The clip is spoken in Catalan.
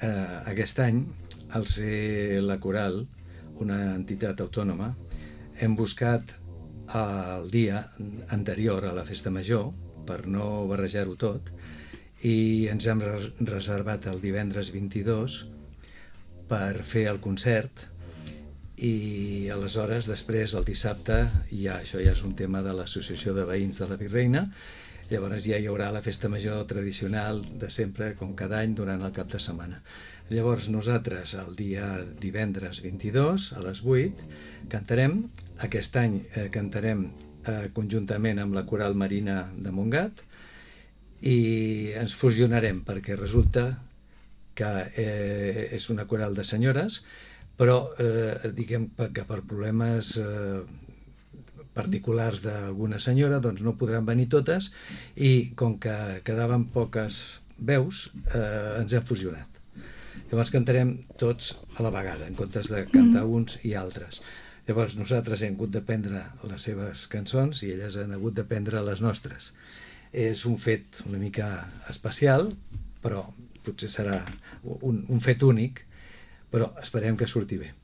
aquest any, al ser la coral una entitat autònoma, hem buscat el dia anterior a la festa major, per no barrejar-ho tot, i ens hem reservat el divendres 22 per fer el concert, i aleshores després el dissabte això ja és un tema de l'associació de veïns de la Virreina. Llavors ja hi haurà la festa major tradicional de sempre, com cada any, durant el cap de setmana. Llavors nosaltres el dia divendres 22 a les 8 cantarem. Aquest any cantarem conjuntament amb la Coral Marina de Montgat, i ens fusionarem perquè resulta que és una coral de senyores, però diguem que per problemes particulars d'alguna senyora doncs no podran venir totes, i com que quedaven poques veus ens hem fusionat. Llavors cantarem tots a la vegada en comptes de cantar uns i altres. Llavors nosaltres hem hagut de prendre les seves cançons i elles han hagut de prendre les nostres. És un fet una mica especial, però potser serà un fet únic, però esperem que surti bé.